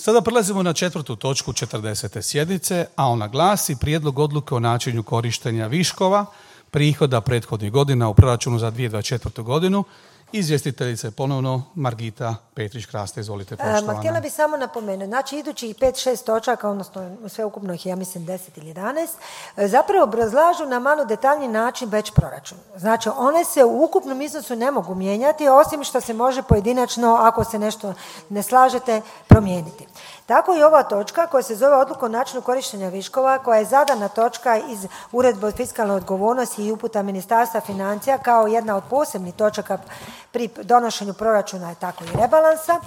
Sada prelazimo na 4. točku 40. sjednice, a ona glasi prijedlog odluke o načinu korištenja viškova prihoda prethodnih godina u proračunu za 2024. godinu. Izvjestiteljica je ponovno Margita Petrić-Kraste. Izvolite, poštovana. Htjela bih samo napomenuti, znači idućih 5-6 točaka, odnosno sveukupno ih ja mislim 10 ili 11, zapravo obrazlažu na malo detaljni način već proračun. Znači one se u ukupnom iznosu ne mogu mijenjati, osim što se može pojedinačno, ako se nešto ne slažete, promijeniti. Tako i ova točka koja se zove odluka o načinu korištenja viškova, koja je zadana točka iz Uredbe o fiskalnoj odgovornosti i uputa Ministarstva financija kao jedna od posebnih točaka pri donošenju proračuna i tako i rebalansa.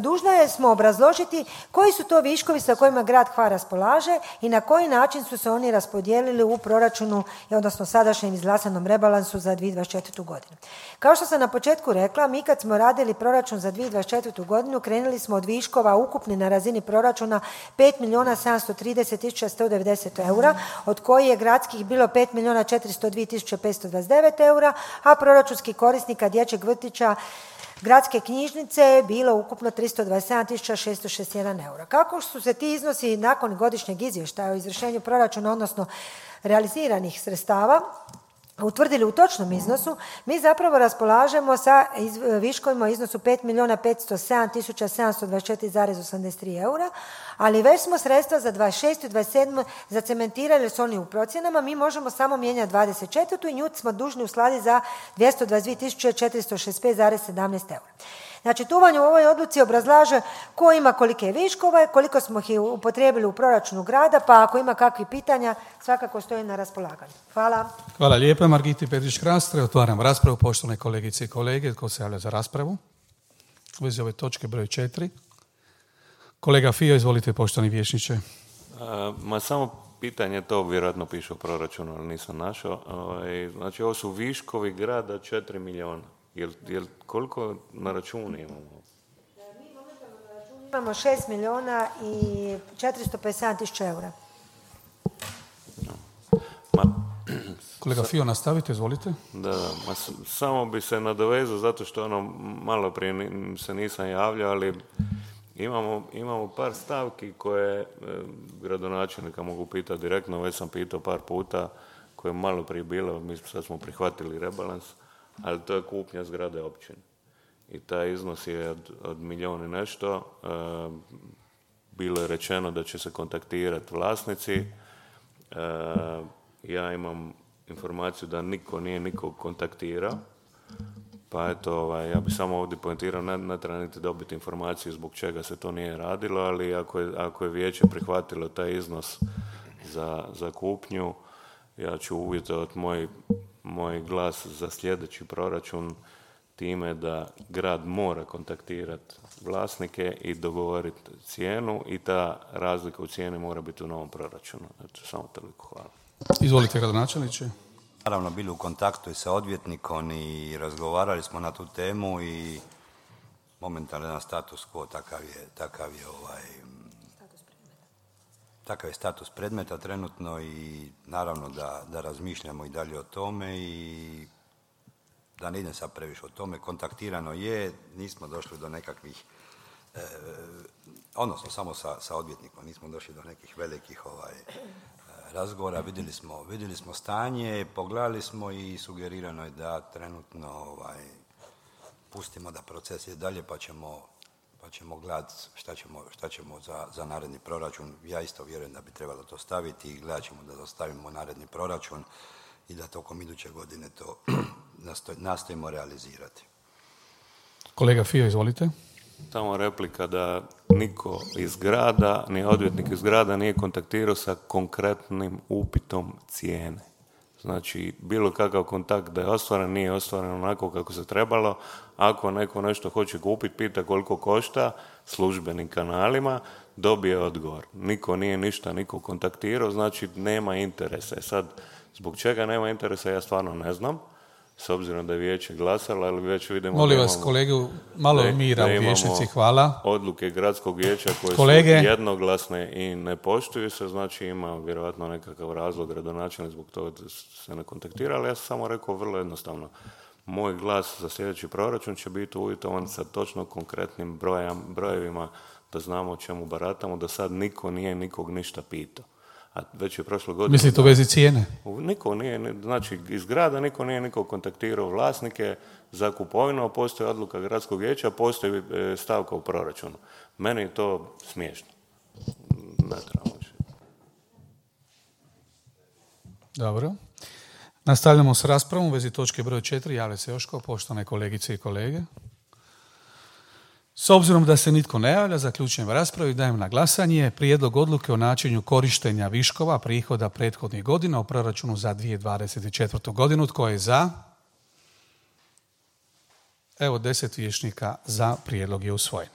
Dužna smo obrazložiti koji su to viškovi sa kojima grad Hvar raspolaže i na koji način su se oni raspodijelili u proračunu, odnosno sadašnjem izglasanom rebalansu za 2024. godinu. Kao što sam na početku rekla, mi kad smo radili proračun za 2024. godinu krenuli smo od viškova ukupni na razini proračuna 5.730.190 eura, od koji je gradskih bilo 5.402.529 eura, a proračunski korisnika dječjeg vrtića gradske knjižnice je bilo ukupno 327.661 eura. Kako su se ti iznosi nakon godišnjeg izvještaja o izvršenju proračuna, odnosno realiziranih sredstava, utvrdili u točnom iznosu, mi zapravo raspolažemo sa viškovima u iznosu 5.507.724,83 eura, ali već smo sredstva za 26. i 27. zacementirali s oni u procjenama, mi možemo samo mijenjati 24. i nju smo dužni uskladiti za 222.465,17 eura. Znači, tu vam u ovoj odluci obrazlaže ko ima kolike viškove, koliko smo ih upotrijebili u proračunu grada, pa ako ima kakvih pitanja, svakako stoji na raspolaganju. Hvala. Hvala lijepa Margiti Petrić-Krastre. Otvaram raspravu. Poštovane kolegice i kolege, tko se javlja za raspravu? U vezi ove točke broj 4. Kolega Fio, izvolite, poštovani vijećniče. Samo pitanje, to vjerojatno piše u proračunu, ali nisam našao. Znači, ovo su viškovi grada 4 milijuna. Jel koliko na računu imamo? Mi momentalno na računu imamo 6 milijuna i 457 tisuća eura. Kolega Fio, nastavite, izvolite. Da, samo bi se nadovezao, zato što malo prije se nisam javljao, ali imamo par stavki koje gradonačelnika mogu pitati direktno, već sam pitao par puta, koje je malo prije bilo, mi sad smo prihvatili rebalans, ali to je kupnja zgrade općine. I taj iznos je od milijun i nešto. Bilo je rečeno da će se kontaktirati vlasnici. Ja imam informaciju da niko nije nikog kontaktirao. Pa eto, ja bi samo ovdje poentirao, ne treba niti dobiti informaciju zbog čega se to nije radilo, ali ako je vijeće prihvatilo taj iznos za kupnju, ja ću uvjetovati moj glas za sljedeći proračun time da grad mora kontaktirati vlasnike i dogovoriti cijenu i ta razlika u cijeni mora biti u novom proračunu. Eto, samo toliko, hvala. Izvolite, gradonačelniče. Naravno, bili u kontaktu i sa odvjetnikom i razgovarali smo na tu temu i momentalno status quo takav je status predmeta trenutno i naravno da razmišljamo i dalje o tome i da ne idem sad previše o tome. Kontaktirano je, nismo došli do nekakvih, odnosno samo sa odvjetnikom, nismo došli do nekih velikih razgovora, vidjeli smo stanje, pogledali smo i sugerirano je da trenutno pustimo da proces ide dalje pa ćemo gledati šta ćemo za naredni proračun. Ja isto vjerujem da bi trebalo to staviti i gledat ćemo da dostavimo naredni proračun i da tokom iduće godine to nastojimo realizirati. Kolega Fio, izvolite. Samo replika da niko iz grada, ni odvjetnik iz grada nije kontaktirao sa konkretnim upitom cijene. Znači, bilo kakav kontakt da je ostvaren, nije ostvaren onako kako se trebalo. Ako neko nešto hoće kupiti, pita koliko košta službenim kanalima, dobije odgovor. Niko nije ništa niko kontaktirao, znači nema interesa. Sad, zbog čega nema interesa, ja stvarno ne znam. S obzirom da je vijeće glasalo, ali već vidimo... Molim vas, kolegu, malo mira u vijećnici, hvala. Odluke gradskog vijeća koje su jednoglasne i ne poštuju se, znači ima vjerojatno nekakav razlog gradonačelnik zbog toga da se ne kontaktira, ali ja sam samo rekao vrlo jednostavno. Moj glas za sljedeći proračun će biti uvjetovan sa točno konkretnim brojevima da znamo o čemu baratamo, da sad niko nije nikog ništa pitao. A već je prošle godine... Mislite u vezi cijene? Niko nije, znači iz grada niko nije nikog kontaktirao vlasnike za kupovinu, a postoji odluka gradskog vijeća, postoji stavka u proračunu. Meni je to smiješno. Ne trebamo više. Dobro. Nastavljamo s raspravom u vezi točke broj 4. Javlja se Joško, poštovane kolegice i kolege. S obzirom da se nitko ne javlja, zaključujem raspravu i dajem na glasanje prijedlog odluke o načinu korištenja viškova prihoda prethodnih godina u proračunu za 2024. godinu. Tko je za? Evo 10 vijećnika za, prijedlog je usvojen.